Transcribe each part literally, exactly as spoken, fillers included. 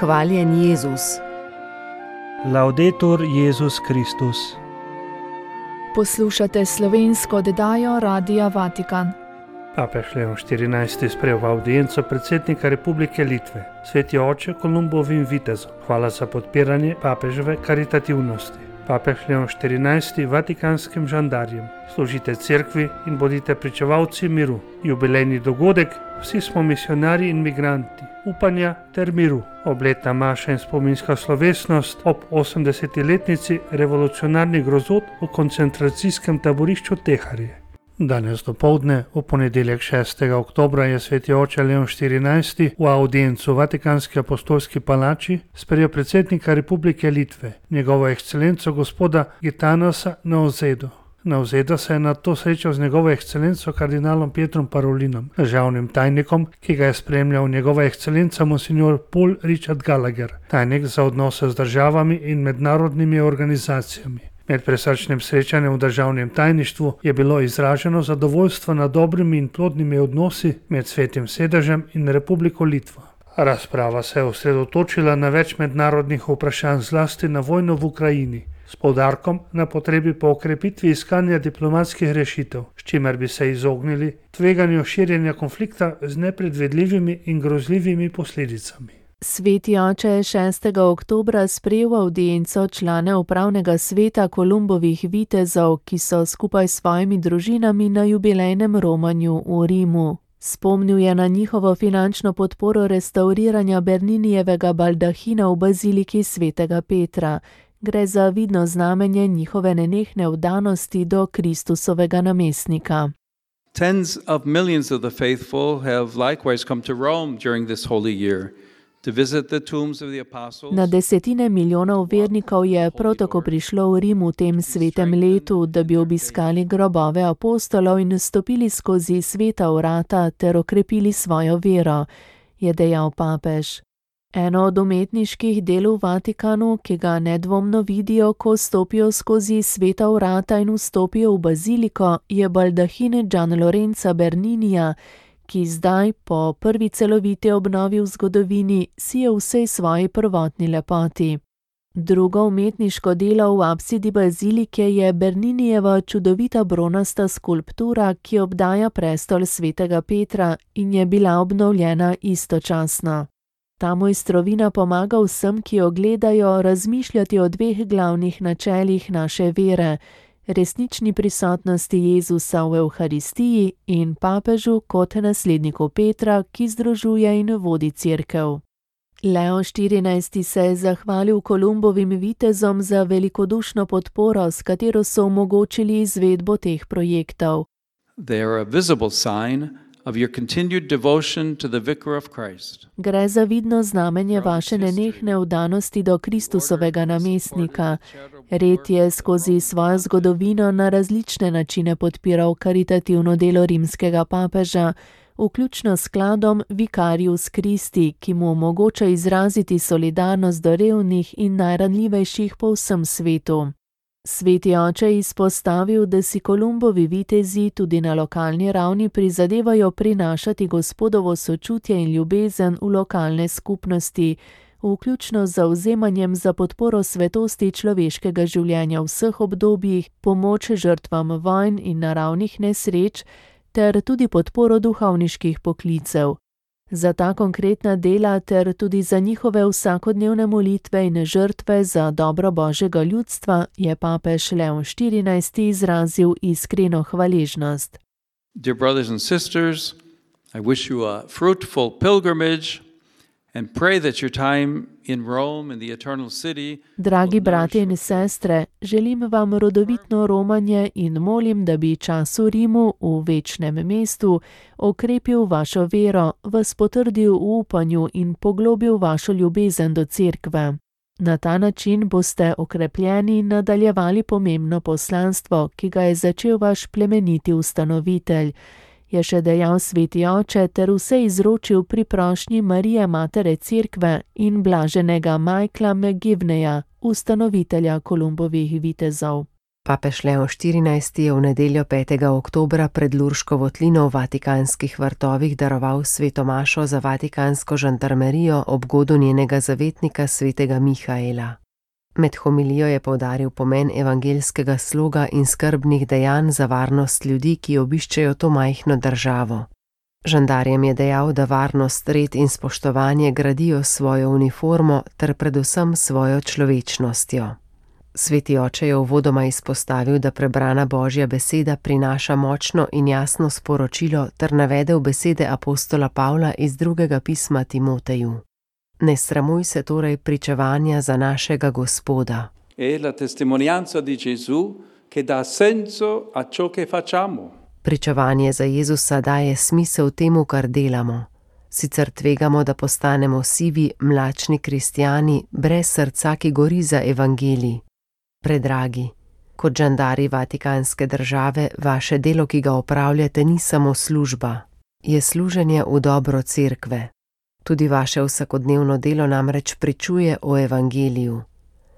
Hvaljen Jezus. Laudetur Jezus Kristus. Poslušate slovensko oddajo Radia Vatikan. Papež Leon štirinajsti sprejel v avdienco predsednika Republike Litve, sveti oče Kolumbovim vitezom. Hvala za podpiranje papeževe karitativnosti. Papež Leon štirinajsti vatikanskim žandarjem. Služite cerkvi in bodite pričevalci miru. Jubilejni dogodek, vsi smo misionarji in migranti, upanja ter miru. Obletna maša in spominska slovesnost ob osemdesetiletnici revolucionarnih grozot v koncentracijskem taborišču Teharije. Danes dopoldne, v ponedeljek šestega oktobra, je sveti oče Leon štirinajsti v avdiencu v Vatikanski apostolski palači sprejel predsednika Republike Litve, njegovo ekscelenco gospoda Gitanasa Nausedo. Nauseda se je na to srečal z njegovo ekscelenco kardinalom Pietrom Parolinom, državnim tajnikom, ki ga je spremljal njegova ekscelenca monsignor Paul Richard Gallagher, tajnik za odnose z državami in mednarodnimi organizacijami. Med presrčnim srečanjem v državnem tajništvu je bilo izraženo zadovoljstvo nad dobrimi in plodnimi odnosi med Svetim sedežem in Republiko Litvo. Razprava se je osredotočila na več mednarodnih vprašanj, zlasti na vojno v Ukrajini, s poudarkom na potrebi po okrepitvi iskanja diplomatskih rešitev, s čimer bi se izognili tveganju širjenja konflikta z nepredvidljivimi in grozljivimi posledicami. Sveti oče je šestega oktobra sprejel avdienco člane upravnega sveta Kolumbovih vitezov, ki so skupaj s svojimi družinami na jubilejnem romanju v Rimu. Spomnil je na njihovo finančno podporo restauriranja Berninijevega baldahina v baziliki svetega Petra. Gre za vidno znamenje njihove nenehne vdanosti do Kristusovega namestnika. Tens of millions of the faithful have likewise come to Rome during this holy year. Na desetine milijonov vernikov je prav tako prišlo v Rim v tem svetem letu, da bi obiskali grobove apostolov in stopili skozi sveta vrata ter okrepili svojo vero, je dejal papež. Eno od umetniških del v Vatikanu, ki ga nedvomno vidijo, ko stopijo skozi sveta vrata in vstopijo v baziliko, je baldahin Gian Lorenza Berninija, ki zdaj, po prvi celoviti obnovi v zgodovini, si je vsej svoji prvotni lepoti. Drugo umetniško delo v apsidi bazilike je Berninijeva čudovita bronasta skulptura, ki obdaja prestol svetega Petra in je bila obnovljena istočasno. Ta mojstrovina pomaga vsem, ki jo gledajo, razmišljati o dveh glavnih načelih naše vere, resnični prisotnosti Jezusa v Evharistiji in papežu kot nasledniku Petra, ki združuje in vodi cerkev. Leon štirinajsti se je zahvalil Kolumbovim vitezom za velikodušno podporo, s katero so omogočili izvedbo teh projektov. They are a visible sign of your continued devotion to the Vicar of Christ. Gre za vidno znamenje vaše nenehne vdanosti do Kristusovega namestnika. Red je skozi svojo zgodovino na različne načine podpiral karitativno delo rimskega papeža, vključno s skladom Vicarius Christi, ki mu omogoča izraziti solidarnost do revnih in najranljivejših po vsem svetu. Sveti oče je izpostavil, da si Kolumbovi vitezi tudi na lokalni ravni prizadevajo prinašati Gospodovo sočutje in ljubezen v lokalne skupnosti, vključno z zavzemanjem za podporo svetosti človeškega življenja v vseh obdobjih, pomoč žrtvam vojn in naravnih nesreč ter tudi podporo duhovniških poklicev. Za ta konkretna dela ter tudi za njihove vsakodnevne molitve in žrtve za dobro Božjega ljudstva je papež Leon štirinajsti izrazil iskreno hvaležnost. Dear brothers and sisters, I wish you a fruitful pilgrimage and pray that your time in Rome in the eternal city. Dragi bratje in sestre, želim vam rodovitno romanje in molim, da bi čas v Rimu, v večnem mestu, okrepil vašo vero, vas potrdil v upanju in poglobil vašo ljubezen do cerkve. Na ta način boste okrepljeni in nadaljevali pomembno poslanstvo, ki ga je začel vaš plemeniti ustanovitelj, je še dejal sveti oče ter vse izročil pri prošnji Marije Matere Cerkve in blaženega Michaela McGivneya, ustanovitelja Kolumbovih vitezov. Papež Leon štirinajsti je v nedeljo petega oktobra pred Lurško votlino v Vatikanskih vrtovih daroval sveto mašo za vatikansko žandarmerijo ob godu njenega zavetnika svetega Mihaela. Med homilijo je poudaril pomen evangeljskega sloga in skrbnih dejanj za varnost ljudi, ki obiščejo to majhno državo. Žandarjem je dejal, da varnost, red in spoštovanje gradijo svojo uniformo ter predvsem svojo človečnostjo. Sveti oče je uvodoma izpostavil, da prebrana Božja beseda prinaša močno in jasno sporočilo ter navedel besede apostola Pavla iz drugega pisma Timoteju. Ne sramuj se torej pričevanja za našega Gospoda. È la testimonianza di Gesù che dà senso a ciò che facciamo. Pričevanje za Jezusa daje smisel temu, kar delamo. Sicer tvegamo, da postanemo sivi, mlačni kristjani, brez srca, ki gori za evangelij. Predragi, kot žandari vatikanske države, vaše delo, ki ga opravljate, ni samo služba, je služenje v dobro cerkve. Tudi vaše vsakodnevno delo namreč pričuje o evangeliju.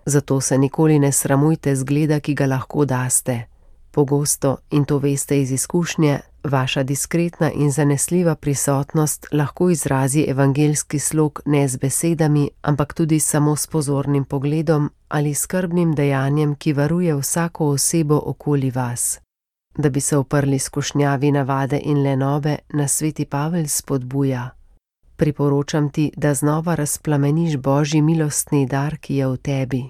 Zato se nikoli ne sramujte zgleda, ki ga lahko daste. Pogosto, in to veste iz izkušnje, vaša diskretna in zanesljiva prisotnost lahko izrazi evangeljski slog ne z besedami, ampak tudi samo s pozornim pogledom ali skrbnim dejanjem, ki varuje vsako osebo okoli vas. Da bi se uprli skušnjavi navade in lenobe, nas sveti Pavel spodbuja. Priporočam ti, da znova razplameniš Božji milostni dar, ki je v tebi.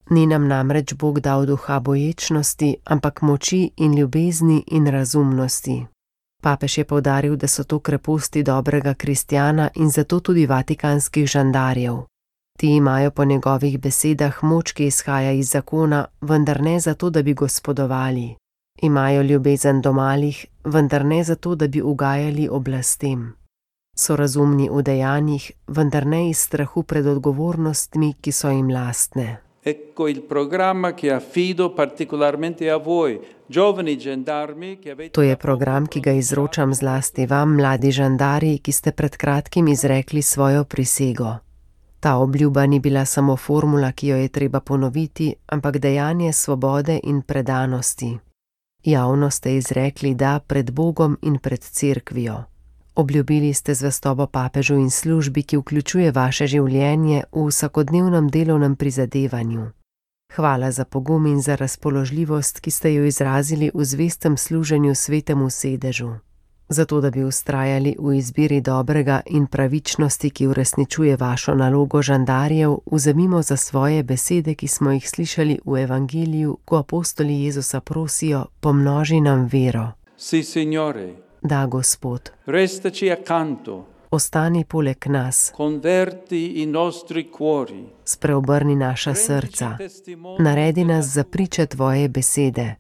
Ni nam namreč Bog dal duha boječnosti, ampak moči in ljubezni in razumnosti. Papež je poudaril, da so to kreposti dobrega kristjana in zato tudi vatikanskih žandarjev. Ti imajo po njegovih besedah moč, ki izhaja iz zakona, vendar ne zato, da bi gospodovali. Imajo ljubezen do malih, vendar ne zato, da bi ugajali oblastem. So razumni v dejanjih, vendar ne iz strahu pred odgovornostmi, ki so jim lastne. Ecco il programma che affido particolarmente a voi, giovani gendarmi che avete... To je program, ki ga izročam zlasti vam, mladi žandari, ki ste pred kratkim izrekli svojo prisego. Ta obljuba ni bila samo formula, ki jo je treba ponoviti, ampak dejanje svobode in predanosti. Javno ste izrekli da pred Bogom in pred cerkvijo. Obljubili ste zvestobo papežu in službi, ki vključuje vaše življenje v vsakodnevnem delovnem prizadevanju. Hvala za pogum in za razpoložljivost, ki ste jo izrazili v zvestem služenju svetemu sedežu. Zato, da bi vztrajali v izbiri dobrega in pravičnosti, ki uresničuje vašo nalogo žandarjev, vzemimo za svoje besede, ki smo jih slišali v evangeliju, ko apostoli Jezusa prosijo, pomnoži nam vero. Si, signore. Da, Gospod. Restaci accanto. Ostani poleg nas. Converti i nostri cuori. Spreobrni naša srca. Naredi nas za priče tvoje besede.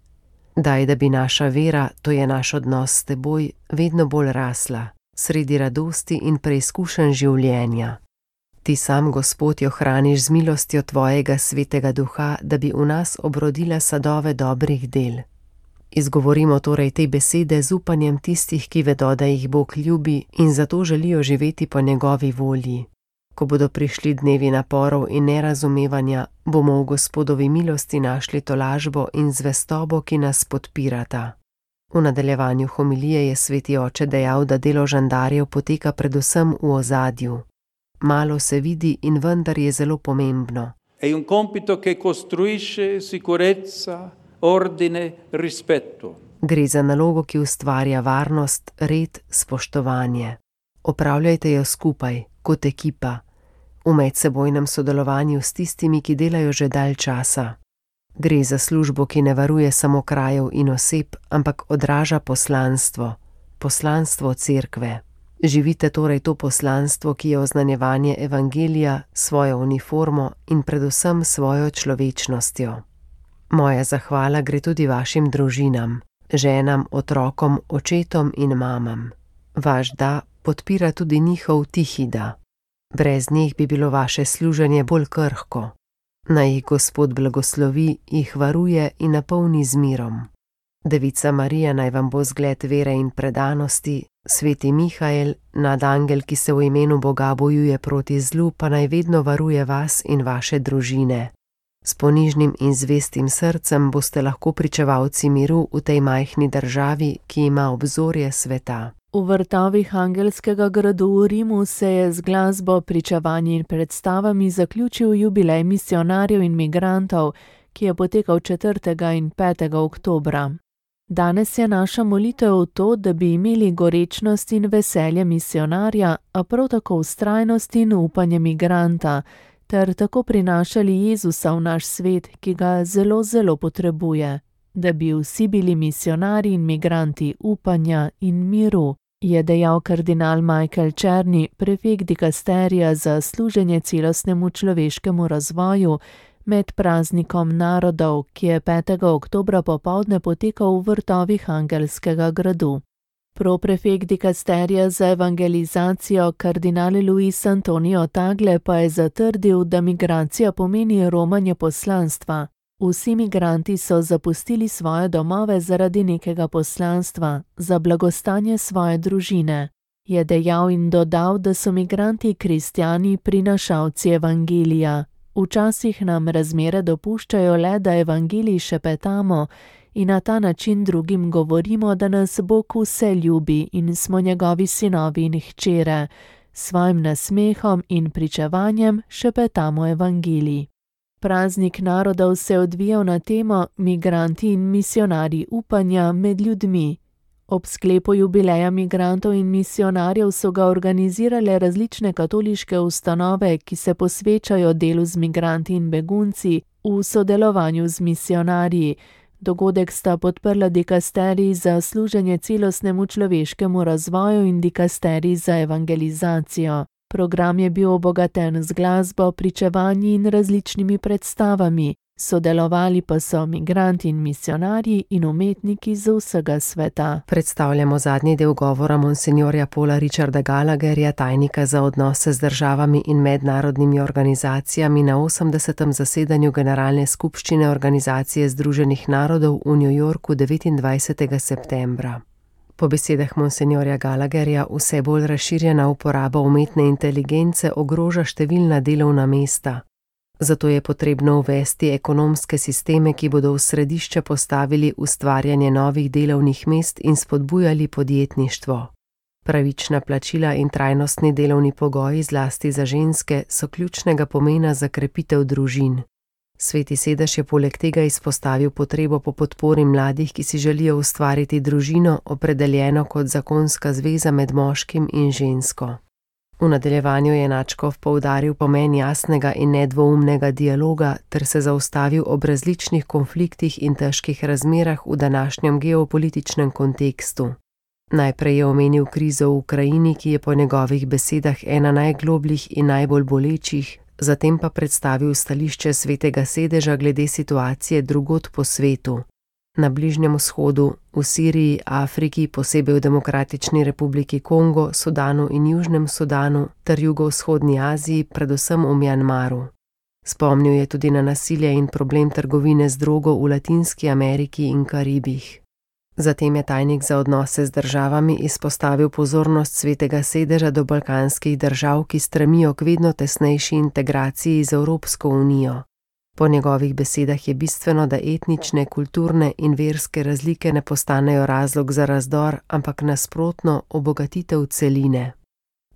Daj, da bi naša vera, to je naš odnos s teboj, vedno bolj rasla, sredi radosti in preizkušenj življenja. Ti sam, Gospod, jo hraniš z milostjo tvojega svetega duha, da bi v nas obrodila sadove dobrih del. Izgovorimo torej te besede z upanjem tistih, ki vedo, da jih Bog ljubi in zato želijo živeti po njegovi volji. Ko bodo prišli dnevi naporov in nerazumevanja, bomo v Gospodovi milosti našli tolažbo in zvestobo, ki nas podpirata. V nadaljevanju homilije je sveti oče dejal, da delo žandarjev poteka predvsem v ozadju. Malo se vidi in vendar je zelo pomembno. È un compito che costruisce sicurezza, ordine, rispetto. Gre za nalogo, ki ustvarja varnost, red, spoštovanje. Opravljajte jo skupaj, kot ekipa, v medsebojnem sodelovanju s tistimi, ki delajo že dalj časa. Gre za službo, ki ne varuje samo krajev in oseb, ampak odraža poslanstvo, poslanstvo cerkve. Živite torej to poslanstvo, ki je oznanjevanje evangelija, svojo uniformo in predvsem svojo človečnostjo. Moja zahvala gre tudi vašim družinam, ženam, otrokom, očetom in mamam. Vaš da podpira tudi njihov tihi da. Brez njih bi bilo vaše služenje bolj krhko. Naj jih Gospod blagoslovi, jih varuje in napolni z mirom. Devica Marija naj vam bo zgled vere in predanosti, sveti Mihael, nadangel, ki se v imenu Boga bojuje proti zlu, pa naj vedno varuje vas in vaše družine. S ponižnim in zvestim srcem boste lahko pričevalci miru v tej majhni državi, ki ima obzorje sveta. V vrtovih Angelskega gradu v Rimu se je z glasbo, pričevanji in predstavami zaključil jubilej misionarjev in migrantov, ki je potekal četrtega in petega oktobra. Danes je naša molitev v to, da bi imeli gorečnost in veselje misionarja, a prav tako vztrajnost in upanje migranta, ter tako prinašali Jezusa v naš svet, ki ga zelo, zelo potrebuje, da bi vsi bili misionarji in migranti upanja in miru, je dejal kardinal Michael Czerny, prefekt dikasterija za služenje celostnemu človeškemu razvoju, med praznikom narodov, ki je petega oktobra popoldne potekal v vrtovih Angelskega gradu. Proprefekt dikasterija za evangelizacijo kardinal Luis Antonio Tagle pa je zatrdil, da migracija pomeni romanje poslanstva. Vsi migranti so zapustili svoje domove zaradi nekega poslanstva, za blagostanje svoje družine. Je dejal in dodal, da so migranti kristjani prinašalci evangelija. Včasih nam razmere dopuščajo le, da evangelij šepetamo in na ta način drugim govorimo, da nas Bog vse ljubi in smo njegovi sinovi in hčere. S svojim nasmehom in pričevanjem šepetamo evangelij. Praznik narodov se je odvijal na temo Migranti in misionarji upanja med ljudmi. Ob sklepu jubileja migrantov in misionarjev so ga organizirale različne katoliške ustanove, ki se posvečajo delu z migranti in begunci v sodelovanju z misionarji. Dogodek sta podprla dikasterij za služenje celostnemu človeškemu razvoju in dikasterij za evangelizacijo. Program je bil obogaten z glasbo, pričevanji in različnimi predstavami. Sodelovali pa so migranti in misionarji in umetniki z vsega sveta. Predstavljamo zadnji del govora monsinjorja Paula Richarda Gallagherja, tajnika za odnose z državami in mednarodnimi organizacijami na osemdesetem zasedanju Generalne skupščine Organizacije združenih narodov v New Yorku devetindvajsetega septembra. Po besedah monsinjorja Gallagherja vse bolj razširjena uporaba umetne inteligence ogroža številna delovna mesta. Zato je potrebno uvesti ekonomske sisteme, ki bodo v središče postavili ustvarjanje novih delovnih mest in spodbujali podjetništvo. Pravična plačila in trajnostni delovni pogoji, zlasti za ženske, so ključnega pomena za krepitev družin. Sveti sedež je poleg tega izpostavil potrebo po podpori mladih, ki si želijo ustvariti družino, opredeljeno kot zakonska zveza med moškim in žensko. V nadaljevanju je nadškof poudaril pomen jasnega in nedvoumnega dialoga ter se zaustavil ob različnih konfliktih in težkih razmerah v današnjem geopolitičnem kontekstu. Najprej je omenil krizo v Ukrajini, ki je po njegovih besedah ena najglobljih in najbolj bolečih, zatem pa predstavil stališče Svetega sedeža glede situacije drugod po svetu. Na Bližnjem vzhodu, v Siriji, Afriki, posebej v Demokratični republiki Kongo, Sudanu in Južnem Sudanu ter jugovzhodni Aziji, predvsem v Mjanmaru. Spomnil je tudi na nasilje in problem trgovine z drogo v Latinski Ameriki in Karibih. Zatem je tajnik za odnose z državami izpostavil pozornost Svetega sedeža do balkanskih držav, ki stremijo k vedno tesnejši integraciji z Evropsko unijo. Po njegovih besedah je bistveno, da etnične, kulturne in verske razlike ne postanejo razlog za razdor, ampak nasprotno obogatitev celine.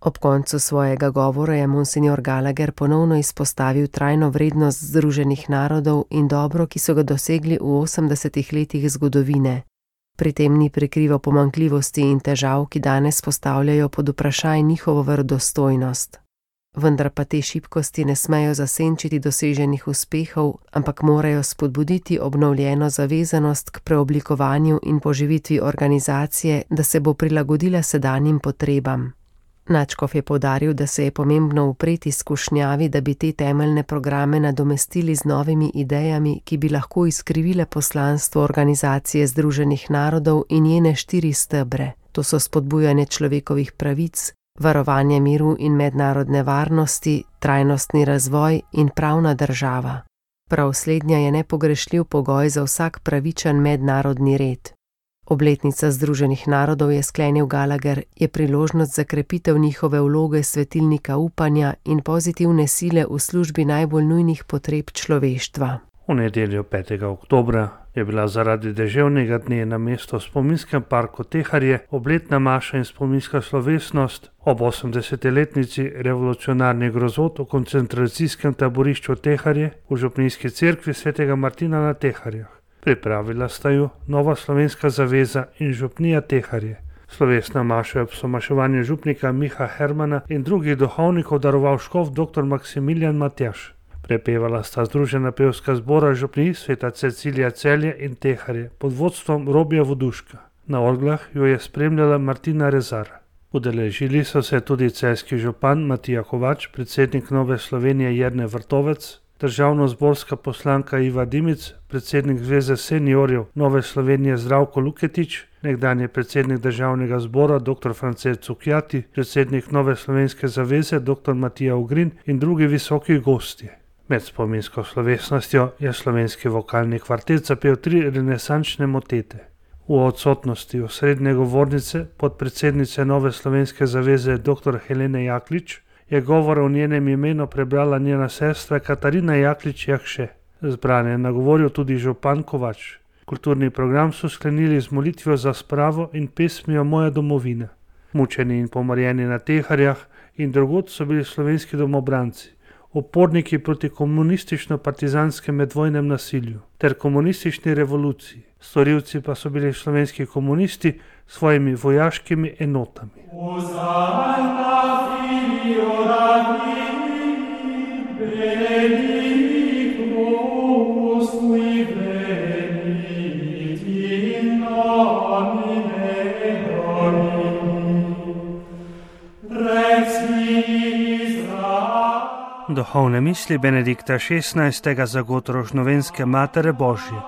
Ob koncu svojega govora je monsinjor Gallagher ponovno izpostavil trajno vrednost Združenih narodov in dobro, ki so ga dosegli v osemdesetih letih zgodovine. Pri tem ni prikrival pomanjkljivosti in težav, ki danes postavljajo pod vprašaj njihovo verodostojnost. Vendar pa te šibkosti ne smejo zasenčiti doseženih uspehov, ampak morajo spodbuditi obnovljeno zavezanost k preoblikovanju in poživitvi organizacije, da se bo prilagodila sedanjim potrebam. Nadškof je poudaril, da se je pomembno upreti skušnjavi, da bi te temeljne programe nadomestili z novimi idejami, ki bi lahko izkrivile poslanstvo Organizacije združenih narodov in njene štiri stebre. To so spodbujanje človekovih pravic, varovanje miru in mednarodne varnosti, trajnostni razvoj in pravna država. Prav slednja je nepogrešljiv pogoj za vsak pravičen mednarodni red. Obletnica Združenih narodov, je sklenil Gallagher, je priložnost za krepitev njihove vloge svetilnika upanja in pozitivne sile v službi najbolj nujnih potreb človeštva. V nedeljo petega oktobra je bila zaradi deževnega dne na mesto v spominskem parku Teharje obletna maša in spominska slovesnost ob osemdesetletnici revolucionarnih grozot v koncentracijskem taborišču Teharje v župnijski cerkvi svetega Martina na Teharjah. Pripravila sta ju Nova slovenska zaveza in župnija Teharje. Slovesna maša je ob somaševanju župnika Miha Hermana in drugih duhovnikov daroval škof dr. Maksimilijan Matjaž. Prepevala sta združena pevska zbora župnij sveta Cecilija Celje in Teharje pod vodstvom Robija Voduška. Na orglah jo je spremljala Martina Rezar. Udeležili so se tudi celjski župan Matija Kovač, predsednik Nove Slovenije Jernej Vrtovec, državnozborska poslanka Iva Dimic, predsednik Zveze seniorjev Nove Slovenije Zdravko Luketič, nekdanji predsednik državnega zbora dr. France Cukjati, predsednik Nove slovenske zaveze dr. Matija Ugrin in drugi visoki gostje. Med spominsko slovesnostjo je slovenski vokalni kvartet zapel tri renesančne motete. V odsotnosti osrednje govornice podpredsednice Nove slovenske zaveze dr. Helene Jaklič je govor o njenem imenu prebrala njena sestra Katarina Jaklič Jakše. Zbrane je nagovoril tudi župan Kovač. Kulturni program so sklenili z molitvijo za spravo in pesmijo Moja domovina. Mučeni in pomorjeni na Teharjah in drugod so bili slovenski domobranci, uporniki proti komunistično-partizanskem medvojnem nasilju ter komunistični revoluciji. Storilci pa so bili slovenski komunisti s svojimi vojaškimi enotami. Duhovne misli Benedikta šestnajstega za Gotrožnovenske Matere Božje.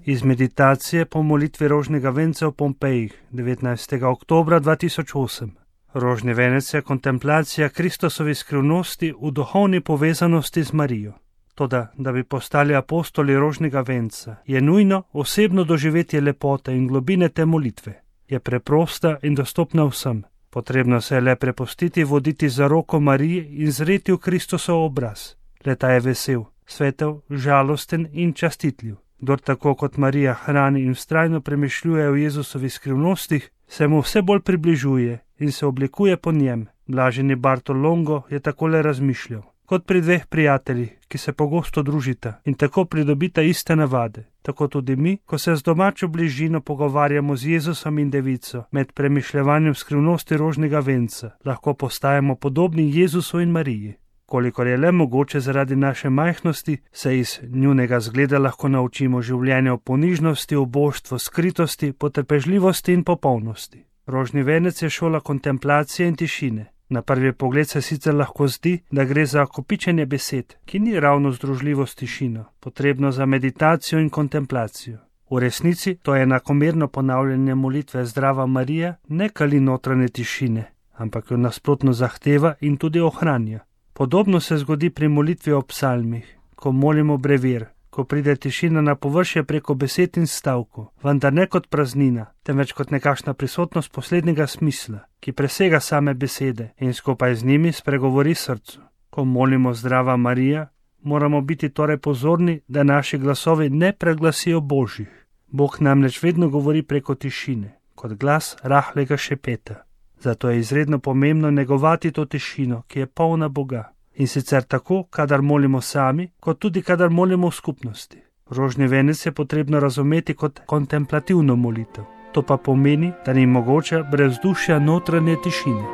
Iz meditacije po molitvi rožnega venca v Pompejih, devetnajstega oktobra dva tisoč osem. Rožni venec je kontemplacija Kristosovi skrivnosti v duhovni povezanosti z Marijo. Toda, da bi postali apostoli rožnega venca, je nujno osebno doživetje lepote in globine te molitve. Je preprosta in dostopna vsem. Potrebno se je le prepustiti voditi za roko Marije in zreti v Kristusov obraz. Le ta je vesel, svetel, žalosten in častitljiv. Kdor tako kot Marija hrani in vztrajno premišljuje o Jezusovi skrivnostih, se mu vse bolj približuje in se oblikuje po njem. Blaženi Bartolongo je takole razmišljal. Kot pri dveh prijateljih, ki se pogosto družita in tako pridobita iste navade. Tako tudi mi, ko se z domačo bližino pogovarjamo z Jezusom in devico, med premišljevanjem skrivnosti rožnega venca, lahko postajamo podobni Jezusu in Mariji. Kolikor je le mogoče zaradi naše majhnosti, se iz njunega zgleda lahko naučimo življenja v ponižnosti, oboštvu, skritosti, potrpežljivosti in popolnosti. Rožni venec je šola kontemplacije in tišine. Na prvi pogled se sicer lahko zdi, da gre za kopičenje besed, ki ni ravno združljivo s tišino, potrebno za meditacijo in kontemplacijo. V resnici to je enakomerno ponavljanje molitve Zdrava Marija ne kali notranje tišine, ampak jo nasprotno zahteva in tudi ohranja. Podobno se zgodi pri molitvi o psalmih, ko molimo brevir, ko pride tišina na površje preko besed in stavkov, vendar ne kot praznina, temveč kot nekakšna prisotnost poslednjega smisla, ki presega same besede in skupaj z njimi spregovori srcu. Ko molimo Zdrava Marija, moramo biti torej pozorni, da naši glasovi ne preglasijo Božjih. Bog namreč vedno govori preko tišine, kot glas rahlega šepeta. Zato je izredno pomembno negovati to tišino, ki je polna Boga. In sicer tako, kadar molimo sami, kot tudi kadar molimo v skupnosti. Rožni venec je potrebno razumeti kot kontemplativno molitev. To pa pomeni, da ni mogoče brez dušja notranje tišine.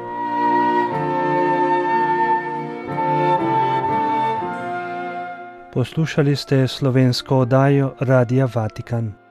Poslušali ste slovensko oddajo Radia Vatikan.